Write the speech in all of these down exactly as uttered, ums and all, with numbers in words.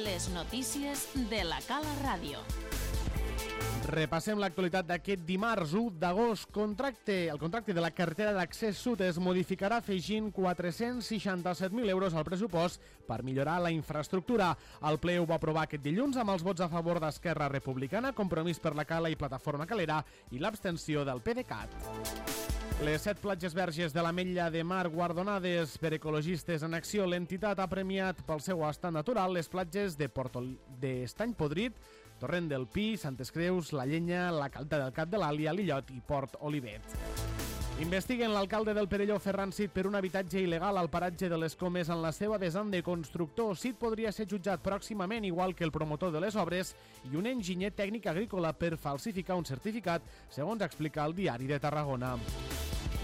Les notícies de la Cala Ràdio. Repassem l'actualitat d'aquest dimarts u d'agost. Contracte, el contracte de la carretera d'accés sud es modificarà afegint quatre-cents seixanta-set mil euros al pressupost per millorar la infraestructura. El ple ho va aprovar aquest dilluns amb els vots a favor d'Esquerra Republicana, Compromís per la Cala i Plataforma Calera i l'abstenció del PDeCAT. Les set platges verges de l'Ametlla de Mar guardonades per Ecologistes en Acció. L'entitat ha premiat pel seu estat natural les platges de Portol... d'Estany Podrit, Torrent del Pi, Santes Creus, La Llenya, la Calta del Cap de l'Àlia, l'Illot i Port Olivet. Investiguen l'alcalde del Perelló, Ferran Cid, per un habitatge il·legal al paratge de les Comes en la seva vessant de constructor. Cid podria ser jutjat pròximament, igual que el promotor de les obres i un enginyer tècnic agrícola, per falsificar un certificat, segons explica el Diari de Tarragona.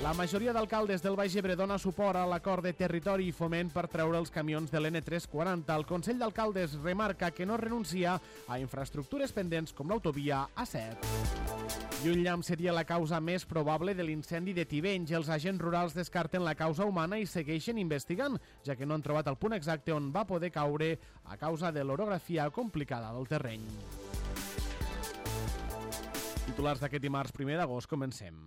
La majoria d'alcaldes del Baix Ebre dona suport a l'acord de territori i foment per treure els camions de l'N tres quaranta. El Consell d'Alcaldes remarca que no renuncia a infraestructures pendents com l'autovia A set. I un llamp seria la causa més probable de l'incendi de Tivenys. Els agents rurals descarten la causa humana i segueixen investigant, ja que no han trobat el punt exacte on va poder caure a causa de l'orografia complicada del terreny. Titulars d'aquest dimarts primer d'agost, comencem.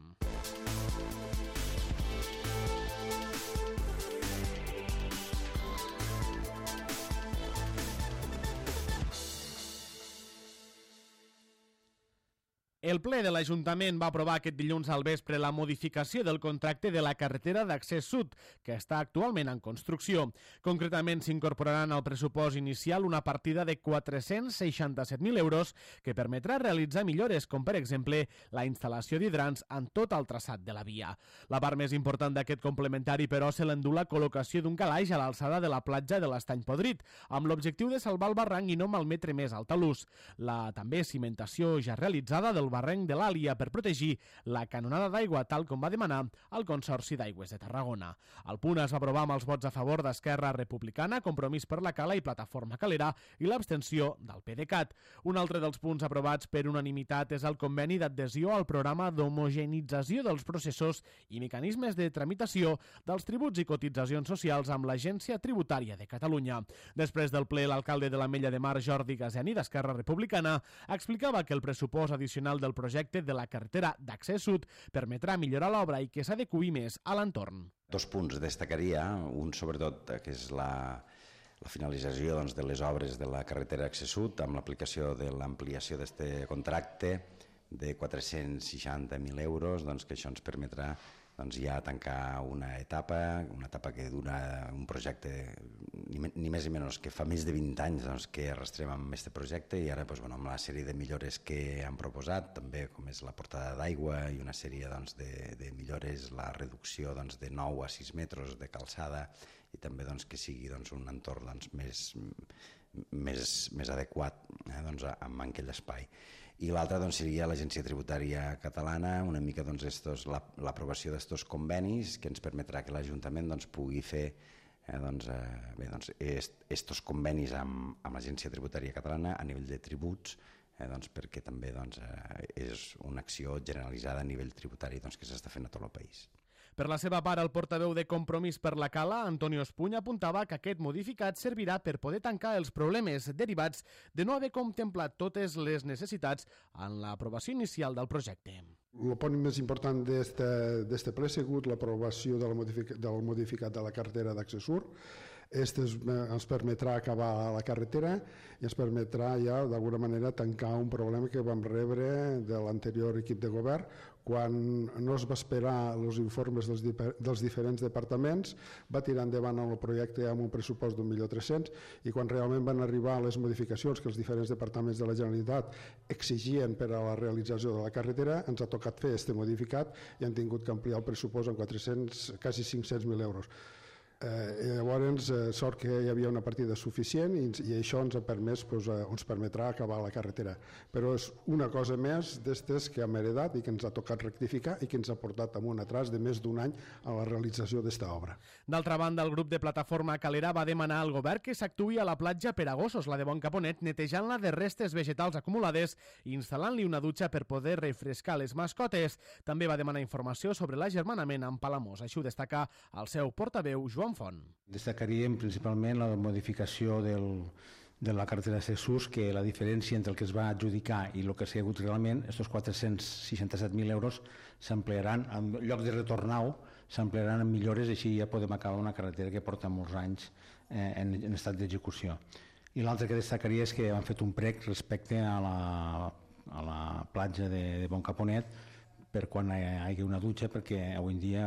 El ple de l'Ajuntament va aprovar aquest dilluns al vespre la modificació del contracte de la carretera d'accés sud, que està actualment en construcció. Concretament, s'incorporaran al pressupost inicial una partida de quatre-cents seixanta-set mil euros que permetrà realitzar millores, com per exemple la instal·lació d'hidrants en tot el traçat de la via. La part més important d'aquest complementari, però, se l'endú la col·locació d'un calaix a l'alçada de la platja de l'Estany Podrit, amb l'objectiu de salvar el barranc i no malmetre més el talús. La també cimentació ja realitzada del barranc de l'Àlia per protegir la canonada d'aigua, tal com va demanar el Consorci d'Aigües de Tarragona. El punt es va aprovar amb els vots a favor d'Esquerra Republicana, Compromís per la Cala i Plataforma Calera i l'abstenció del PDeCAT. Un altre dels punts aprovats per unanimitat és el conveni d'adhesió al programa d'homogenització dels processos i mecanismes de tramitació dels tributs i cotitzacions socials amb l'Agència Tributària de Catalunya. Després del ple, l'alcalde de l'Ametlla de Mar, Jordi Gazeni, d'Esquerra Republicana, explicava que el pressupost addicional del projecte de la carretera d'accés sud permetrà millorar l'obra i que s'adeqüi més a l'entorn. Dos punts destacaria, un sobretot que és la, la finalització doncs, de les obres de la carretera d'accés sud amb l'aplicació de l'ampliació d'aquest contracte de quatre-cents seixanta mil euros, doncs, que això ens permetrà doncs, ja tancar una etapa, una etapa que dura un projecte ni, ni més ni menys que fa més de vint anys doncs, que arrastrem amb aquest projecte i ara doncs, bueno, amb la sèrie de millores que han proposat, també com és la portada d'aigua i una sèrie doncs, de, de millores, la reducció doncs, de nou a sis metres de calçada i també doncs, que sigui doncs, un entorn doncs, més, més, més adequat eh, doncs, amb aquell espai. I l'altra doncs, seria l'Agència Tributària Catalana, una mica doncs, estos, la, l'aprovació d'estos convenis que ens permetrà que l'Ajuntament doncs, pugui fer eh, doncs, eh, bé, doncs, est, estos convenis amb, amb l'Agència Tributària Catalana a nivell de tributs, eh, doncs, perquè també doncs, eh, és una acció generalitzada a nivell tributari doncs, que s'està fent a tot el país. Per la seva part, el portaveu de Compromís per la Cala, Antonio Espuny, apuntava que aquest modificat servirà per poder tancar els problemes derivats de no haver contemplat totes les necessitats en l'aprovació inicial del projecte. El punt més important d'aquest ple ha sigut l'aprovació del, modific del modificat de la carretera d'accés sud. Este ens permetrà acabar la carretera i ens permetrà ja d'alguna manera tancar un problema que vam rebre de l'anterior equip de govern quan no es va esperar els informes dels, dels diferents departaments, va tirar endavant el projecte amb un pressupost d'un milió tres-cents i quan realment van arribar les modificacions que els diferents departaments de la Generalitat exigien per a la realització de la carretera, ens ha tocat fer este modificat i han tingut que ampliar el pressupost en quatre-cents, quasi cinc-cents mil euros. Eh, llavors, eh, sort que hi havia una partida suficient i, i això ens ha permès, doncs, eh, ens permetrà acabar la carretera. Però és una cosa més d'estes que hem heredat i que ens ha tocat rectificar i que ens ha portat amb un atras de més d'un any a la realització d'esta obra. D'altra banda, el grup de Plataforma Calera va demanar al govern que s'actuï a la platja per a gossos, la de Bon Caponet, netejant-la de restes vegetals acumulades i instal·lant-li una dutxa per poder refrescar les mascotes. També va demanar informació sobre l'agermanament amb Palamós. Això ho destaca el seu portaveu, Joan Font. Destacaríem principalment la modificació del, de la carretera de Jesús, que la diferència entre el que es va adjudicar i el que s'ha hagut realment, aquests quatre-cents seixanta-set mil euros s'ampliaran, en lloc de retornar-ho, s'ampliaran en millores, i així ja podem acabar una carretera que porta molts anys eh, en, en estat d'execució. I l'altre que destacaria és que han fet un prec respecte a la, a la platja de, de Bon Caponet per quan hi hagi una dutxa, perquè avui en dia,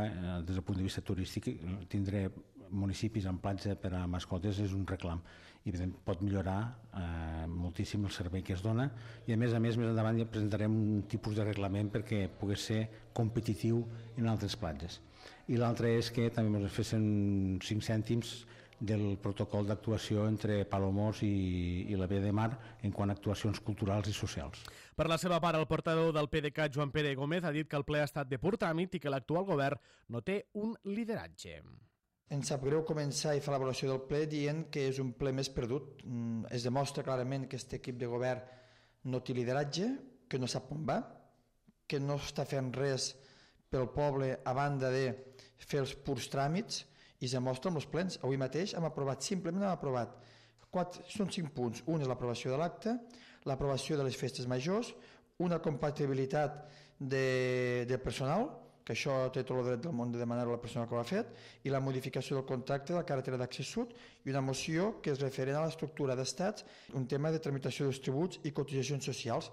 des del punt de vista turístic, tindre municipis amb platja per a mascotes és un reclam i pot millorar eh, moltíssim el servei que es dona, i a més a més més endavant ja presentarem un tipus de reglament perquè pogués ser competitiu en altres platges. I l'altre és que també ens fessin cinc cèntims del protocol d'actuació entre Palomós i, i la Via de Mar en quant a actuacions culturals i socials. Per la seva part, el portador del P D C A t, Joan Pere Gómez, ha dit que el ple ha estat de pur tràmit i que l'actual govern no té un lideratge. Ens sap greu començar i fer l'avaluació del ple dient que és un ple més perdut. Es demostra clarament que aquest equip de govern no té lideratge, que no sap on va, que no està fent res pel poble a banda de fer els purs tràmits, i es demostra amb els plens. Avui mateix hem aprovat, simplement hem aprovat, quatre, són cinc punts. Un és l'aprovació de l'acte, l'aprovació de les festes majors, una compatibilitat de, de personal, que això té tot el dret del món de demanar-ho a la persona que ho ha fet, i la modificació del contracte de la carretera d'accés sud, i una moció que és referent a l'estructura d'estats, un tema de tramitació dels tributs i cotitzacions socials.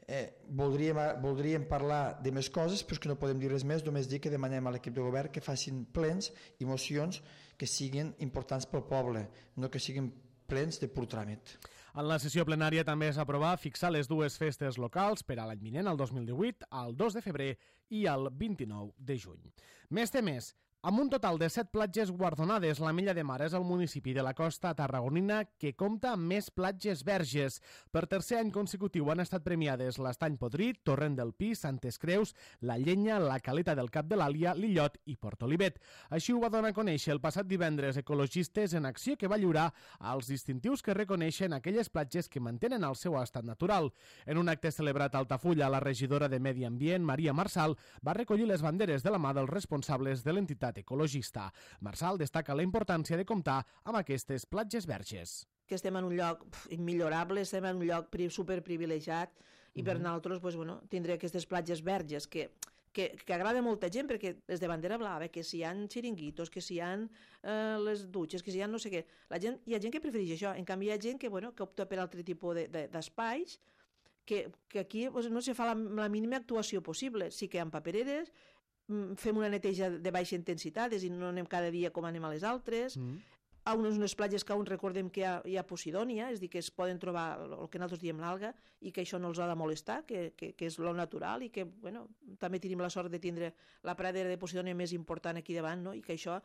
Eh, voldríem, voldríem parlar de més coses, però és que no podem dir res més, només dir que demanem a l'equip de govern que facin plens i mocions que siguin importants pel poble, no que siguin plens de pur tràmit. En la sessió plenària també es va aprovar fixar les dues festes locals per a l'any vinent, el dos mil divuit, el dos de febrer i el vint-i-nou de juny. Més temes. Amb un total de set platges guardonades, la Mella de Mar és el municipi de la costa tarragonina que compta amb més platges verges. Per tercer any consecutiu han estat premiades l'Estany Podrit, Torrent del Pi, Santes Creus, la Llenya, la Caleta del Cap de l'Àlia, l'Illot i Port Olivet. Així ho va donar a conèixer el passat divendres Ecologistes en Acció, que va lliurar als distintius que reconeixen aquelles platges que mantenen el seu estat natural. En un acte celebrat a Altafulla, la regidora de Medi Ambient, Maria Marsal, va recollir les banderes de la mà dels responsables de l'entitat ecologista. Marsal destaca la importància de comptar amb aquestes platges verges. Que estem en un lloc immillorable, estem en un lloc superprivilegiat i per nosaltres pues, bueno, tindré aquestes platges verges que, que, que agrada a molta gent perquè és de bandera blava, que si hi ha xiringuitos, que si hi ha eh, les dutxes, que si hi ha no sé què. La gent, hi ha gent que prefereix això, en canvi hi ha gent que, bueno, que opta per altre tipus d'espais de, de, que, que aquí pues, no se fa la, la mínima actuació possible. Sí que hi ha papereres, fem una neteja de baixa intensitat, és a dir, no anem cada dia com anem a les altres. Mm. A unes, unes platges que aún recordem que hi ha, hi ha Posidònia, és a dir, que es poden trobar el que nosaltres diem l'alga i que això no els ha de molestar, que, que, que és lo natural i que, bueno, també tenim la sort de tindre la pradera de Posidònia més important aquí davant, no? I que això,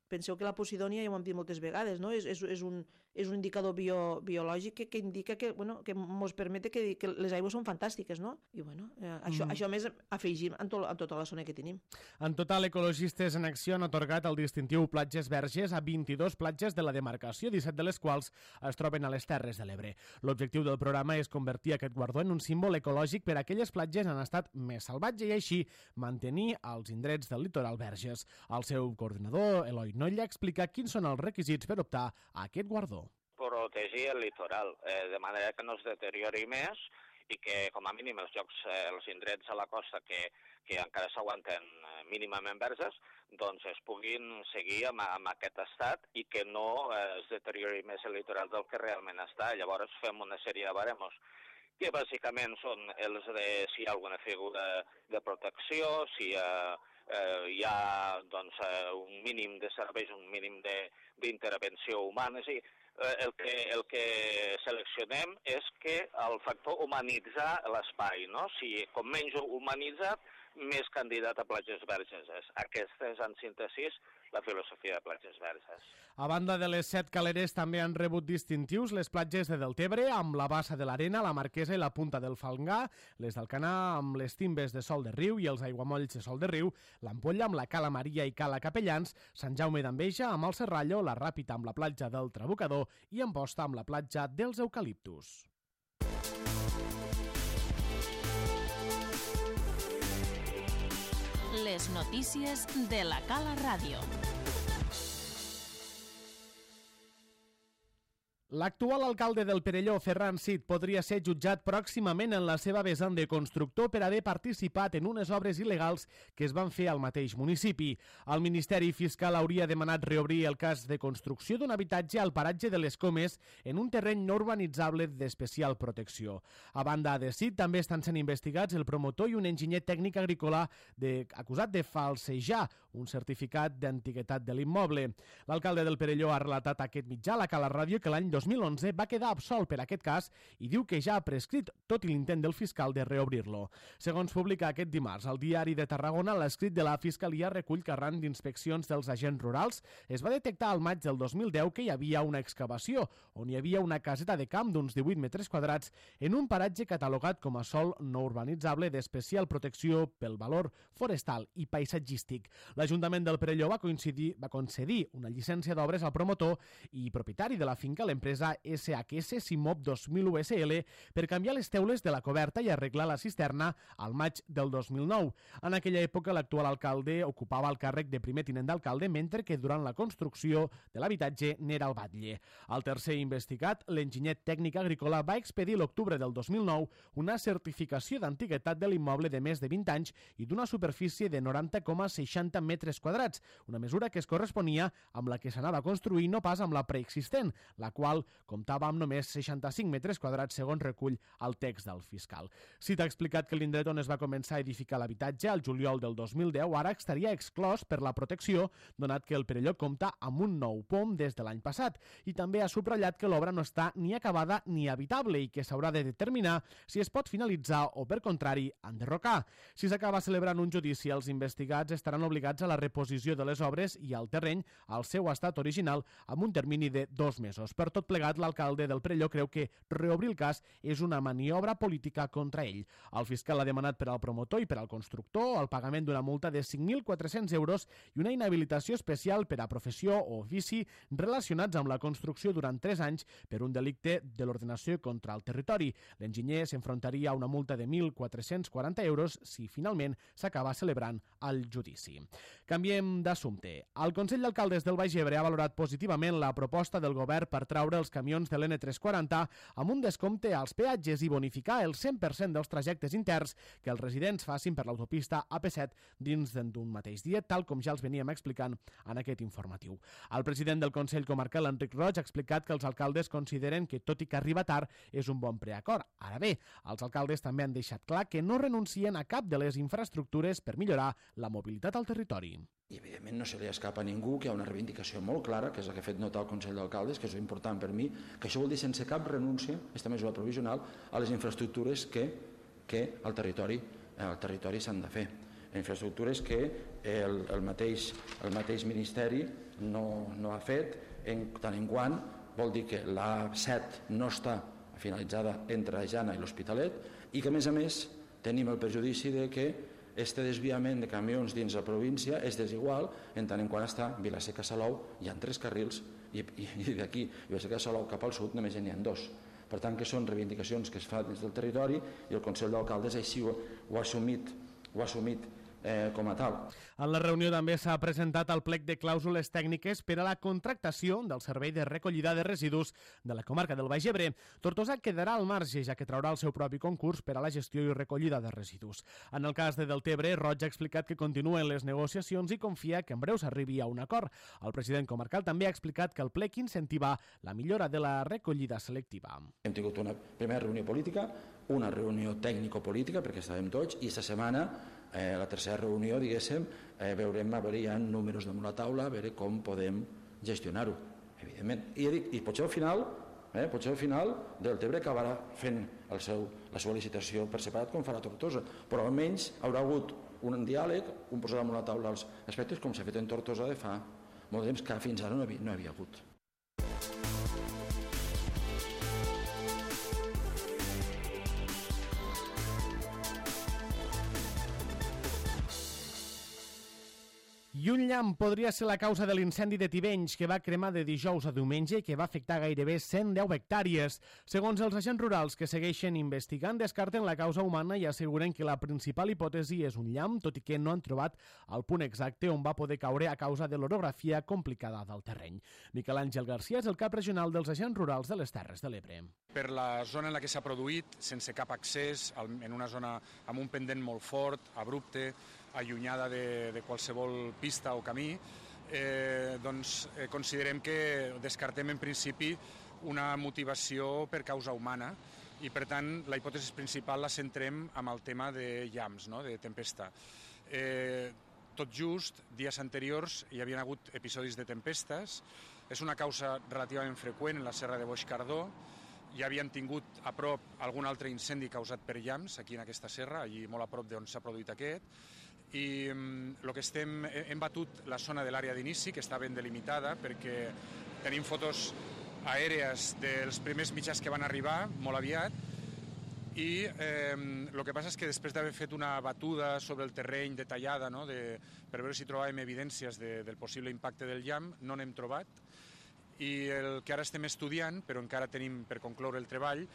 penseu que la Posidònia, ja ho hem dit moltes vegades, no? és, és, és, un, és un indicador bio, biològic que, que indica que, bueno, que ens permet que, que les aigües són fantàstiques, no? I bueno, eh, això, mm. això més afegim en, to, en tota la zona que tenim. En total, Ecologistes en Acció han atorgat el distintiu Platges Verges a vint-i-dos platges de la demarcació, disset de les quals es troben a les Terres de l'Ebre. L'objectiu del programa és convertir aquest guardó en un símbol ecològic per a aquelles platges en estat més salvatge i així mantenir els indrets del litoral verges. El seu coordinador, Eloi Nolla, explica quins són els requisits per optar a aquest guardó. Protegir el litoral, eh, de manera que no es deteriori més i que, com a mínim, els llocs, eh, els indrets a la costa que, que encara s'aguanten eh, mínimament verges, doncs es puguin seguir amb, amb aquest estat i que no eh, es deteriori més el litoral del que realment està. Llavors fem una sèrie de baremos que bàsicament són els de si hi ha alguna figura de protecció, si eh, eh, hi ha doncs, eh, un mínim de serveis, un mínim d'intervenció humana. És a dir, eh, el, que, el que seleccionem és que el factor humanitzar l'espai, no? Si com menys humanitzat, més candidat a platges verges és. Aquesta és, en síntesi, la filosofia de platges verges. A banda de les set caleres, també han rebut distintius les platges de Deltebre, amb la Bassa de l'Arena, la Marquesa i la Punta del Falgà, les d'Alcanar amb les Timbes de Sol de Riu i els aiguamolls de Sol de Riu, l'Ampolla amb la Cala Maria i Cala Capellans, Sant Jaume d'Enveja amb el Serrallo, la Ràpita amb la platja del Trabucador i Amposta amb la platja dels Eucaliptus. Les notícies de la Cala Ràdio. L'actual alcalde del Perelló, Ferran Cid, podria ser jutjat pròximament en la seva vessant de constructor per haver participat en unes obres il·legals que es van fer al mateix municipi. El Ministeri Fiscal hauria demanat reobrir el cas de construcció d'un habitatge al paratge de les Comes en un terreny no urbanitzable d'especial protecció. A banda de Cid, també estan sent investigats el promotor i un enginyer tècnic agrícola de, acusat de falsejar un certificat d'antiguitat de l'immoble. L'alcalde del Perelló ha relatat a aquest mitjà, la Cala Ràdio, que l'any dos mil onze va quedar absolt per aquest cas i diu que ja ha prescrit tot l'intent del fiscal de reobrir-lo. Segons publica aquest dimarts al Diari de Tarragona, l'escrit de la Fiscalia recull que arran d'inspeccions dels agents rurals es va detectar al maig del dos mil deu que hi havia una excavació on hi havia una caseta de camp d'uns divuit metres quadrats en un paratge catalogat com a sòl no urbanitzable d'especial protecció pel valor forestal i paisatgístic. L'Ajuntament del Perelló va, coincidir, va concedir una llicència d'obres al promotor i propietari de la finca, l'empresa S H S Simop dos mil u S L, per canviar les teules de la coberta i arreglar la cisterna al maig del dos mil nou. En aquella època, l'actual alcalde ocupava el càrrec de primer tinent d'alcalde, mentre que durant la construcció de l'habitatge n'era el batlle. El tercer investigat, l'enginyer tècnic agrícola, va expedir l'octubre del dos mil nou una certificació d'antiguitat de l'immoble de més de vint anys i d'una superfície de noranta coma seixanta metres quadrats, una mesura que es corresponia amb la que s'anava a construir, no pas amb la preexistent, la qual comptava amb només seixanta-cinc metres quadrats, segons recull el text del fiscal. Cid ha explicat que l'indret on es va començar a edificar l'habitatge, al juliol del dos mil deu, ara estaria exclòs per la protecció, donat que el Perelló compta amb un nou P O M des de l'any passat, i també ha subratllat que l'obra no està ni acabada ni habitable i que s'haurà de determinar si es pot finalitzar o, per contrari, enderrocar. Si s'acaba celebrant un judici, els investigats estaran obligats a la reposició de les obres i al terreny al seu estat original amb un termini de dos mesos. Per tot plegat, l'alcalde del Perelló creu que reobrir el cas és una maniobra política contra ell. El fiscal ha demanat per al promotor i per al constructor el pagament d'una multa de cinc mil quatre-cents euros i una inhabilitació especial per a professió o ofici relacionats amb la construcció durant tres anys per un delicte de l'ordenació contra el territori. L'enginyer s'enfrontaria a una multa de mil quatre-cents quaranta euros si finalment s'acaba celebrant el judici. Canviem d'assumpte. El Consell d'Alcaldes del Baix Ebre ha valorat positivament la proposta del govern per traure els camions de l'N tres cents i quaranta amb un descompte als peatges i bonificar el cent per cent dels trajectes interns que els residents facin per l'autopista A P set dins d'un mateix dia, tal com ja els veníem explicant en aquest informatiu. El president del Consell Comarcal, Enric Roig, ha explicat que els alcaldes consideren que, tot i que arriba tard, és un bon preacord. Ara bé, els alcaldes també han deixat clar que no renuncien a cap de les infraestructures per millorar la mobilitat al territori. I, evidentment, no se li escapa a ningú que hi ha una reivindicació molt clara, que és la que ha fet notar el Consell d'Alcaldes, que és important per mi, que això vol dir sense cap renúncia, aquesta mesura provisional, a les infraestructures que, que al territori, al territori s'han de fer. Infraestructures que el, el, mateix, el mateix Ministeri no, no ha fet, en tant en quant vol dir que l'A set no està finalitzada entre Jana i l'Hospitalet i que, a més a més, tenim el perjudici de que este desviament de camions dins la província és desigual en tant en quant està Vilaseca-Salou, hi ha tres carrils i, i, i d'aquí Vilaseca-Salou cap al sud només n'hi ha dos. Per tant, que són reivindicacions que es fan des del territori i el Consell d'Alcaldes així ho, ho ha assumit, ho ha assumit Eh, com a tal. En la reunió també s'ha presentat el plec de clàusules tècniques per a la contractació del servei de recollida de residus de la comarca del Baix Ebre. Tortosa quedarà al marge, ja que traurà el seu propi concurs per a la gestió i recollida de residus. En el cas de Deltebre, Roig ha explicat que continuen les negociacions i confia que en breu s'arribi a un acord. El president comarcal també ha explicat que el plec incentiva la millora de la recollida selectiva. Hem tingut una primera reunió política, una reunió tècnico-política, perquè estàvem tots, i aquesta setmana Eh, la tercera reunió, diguéssim, eh, veurem, a veure, hi ha números damunt la taula, a veure com podem gestionar-ho, evidentment. I, dic, i potser al final, eh, potser al final Deltebre acabarà fent el seu, la seva licitació per separat com farà Tortosa, però almenys haurà hagut un diàleg, un posar damunt la taula els aspectes com s'ha fet en Tortosa de fa molt temps que fins ara no havia, no havia hagut. I un llamp podria ser la causa de l'incendi de Tivenys, que va cremar de dijous a diumenge i que va afectar gairebé cent deu hectàrees. Segons els agents rurals que segueixen investigant, descarten la causa humana i asseguren que la principal hipòtesi és un llamp, tot i que no han trobat el punt exacte on va poder caure a causa de l'orografia complicada del terreny. Miquel Àngel García és el cap regional dels agents rurals de les Terres de l'Ebre. Per la zona en la que s'ha produït, sense cap accés, en una zona amb un pendent molt fort, abrupte, allunyada de, de qualsevol pista o camí, eh, doncs eh, considerem que descartem en principi una motivació per causa humana i, per tant, la hipòtesi principal la centrem amb el tema de llamps, no?, de tempesta. Eh, tot just, dies anteriors hi havien hagut episodis de tempestes, és una causa relativament freqüent en la Serra de Boix-Cardó, ja havien tingut a prop algun altre incendi causat per llamps aquí en aquesta serra, allí molt a prop d'on s'ha produït aquest, i el que estem, hem batut la zona de l'àrea d'inici, que està ben delimitada, perquè tenim fotos aèries dels primers mitjans que van arribar molt aviat, i eh, el que passa és que després d'haver fet una batuda sobre el terreny detallada, no, de, per veure si trobàvem evidències de, del possible impacte del llamp, no n'hem trobat, i el que ara estem estudiant, però encara tenim per concloure el treball,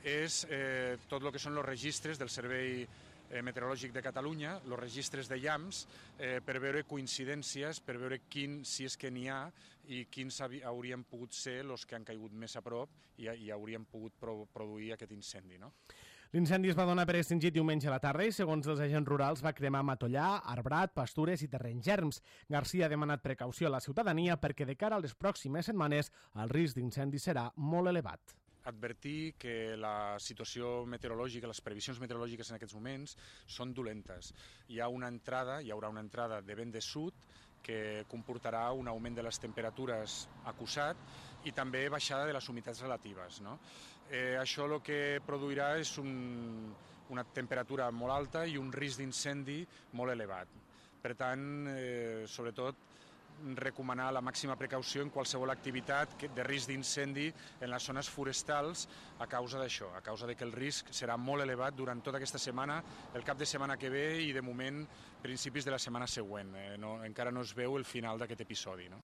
és eh, tot el que són els registres del Servei Meteorològic de Catalunya, els registres de llamps, eh, per veure coincidències, per veure quin, si és que n'hi ha, i quins haurien pogut ser els que han caigut més a prop i, i haurien pogut pro, produir aquest incendi, no? L'incendi es va donar per extingit diumenge a la tarda i, segons els agents rurals, va cremar matollar, arbrat, pastures i terrenys erms. García ha demanat precaució a la ciutadania perquè de cara a les pròximes setmanes el risc d'incendi serà molt elevat. Advertir que la situació meteorològica, les previsions meteorològiques en aquests moments són dolentes. Hi ha una entrada, hi haurà una entrada de vent de sud que comportarà un augment de les temperatures acusat i també baixada de les humitats relatives, no? Eh, això el que produirà és un, una temperatura molt alta i un risc d'incendi molt elevat. Per tant, eh, sobretot, recomanar la màxima precaució en qualsevol activitat de risc d'incendi en les zones forestals a causa d'això, a causa de que el risc serà molt elevat durant tota aquesta setmana, el cap de setmana que ve i, de moment, principis de la setmana següent. Eh, no, encara no es veu el final d'aquest episodi, no?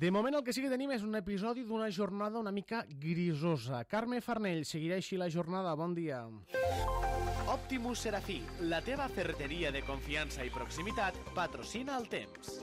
De moment el que sí que tenim és un episodi d'una jornada una mica grisosa. Carme Farnell, seguirà així la jornada. Bon dia. Optimus Serafí, la teva ferreteria de confiança i proximitat, patrocina el temps.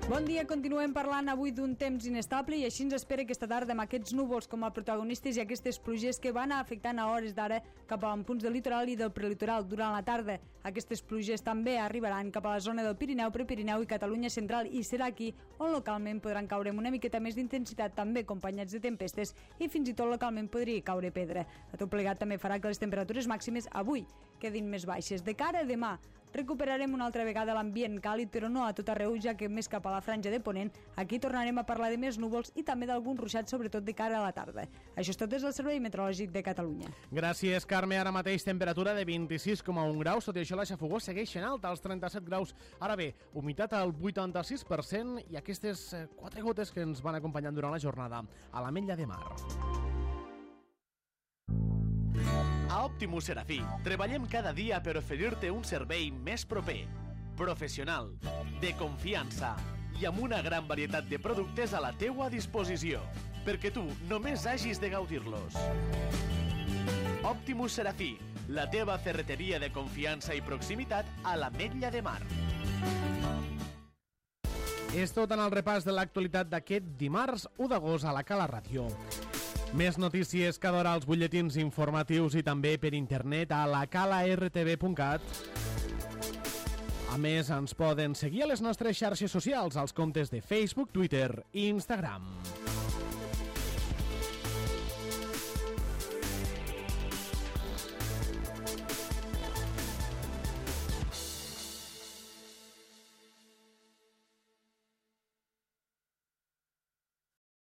Bon dia, continuem parlant avui d'un temps inestable i així ens espera aquesta tarda amb aquests núvols com a protagonistes i aquestes pluges que van afectant a hores d'ara cap a punts del litoral i del prelitoral durant la tarda. Aquestes pluges també arribaran cap a la zona del Pirineu, Prepirineu i Catalunya central i serà aquí on localment podran caure amb una miqueta més d'intensitat, també acompanyats de tempestes i fins i tot localment podria caure pedra. A tot plegat també farà que les temperatures màximes avui quedin més baixes. De cara a demà, recuperarem una altra vegada l'ambient càlid, però no a tot arreu, ja que més cap a la franja de Ponent, aquí tornarem a parlar de més núvols i també d'alguns ruixats, sobretot de cara a la tarda. Això és tot des del Servei Meteorològic de Catalunya. Gràcies, Carme. Ara mateix temperatura de vint-i-sis coma un graus, tot i això la xafogó segueix en alta, als trenta-set graus. Ara bé, humitat al vuitanta-sis per cent i aquestes quatre gotes que ens van acompanyant durant la jornada a l'Ametlla de Mar. A Optimus Serafí treballem cada dia per oferir-te un servei més proper, professional, de confiança i amb una gran varietat de productes a la teua disposició, perquè tu només hagis de gaudir-los. Optimus Serafí, la teva ferreteria de confiança i proximitat a l'Ametlla de Mar. És tot en el repàs de l'actualitat d'aquest dimarts u d'agost a la Cala Ràdio. Més notícies cada hora als butlletins informatius i també per internet a la cala r t v punt cat. A més, ens poden seguir a les nostres xarxes socials, als comptes de Facebook, Twitter i Instagram.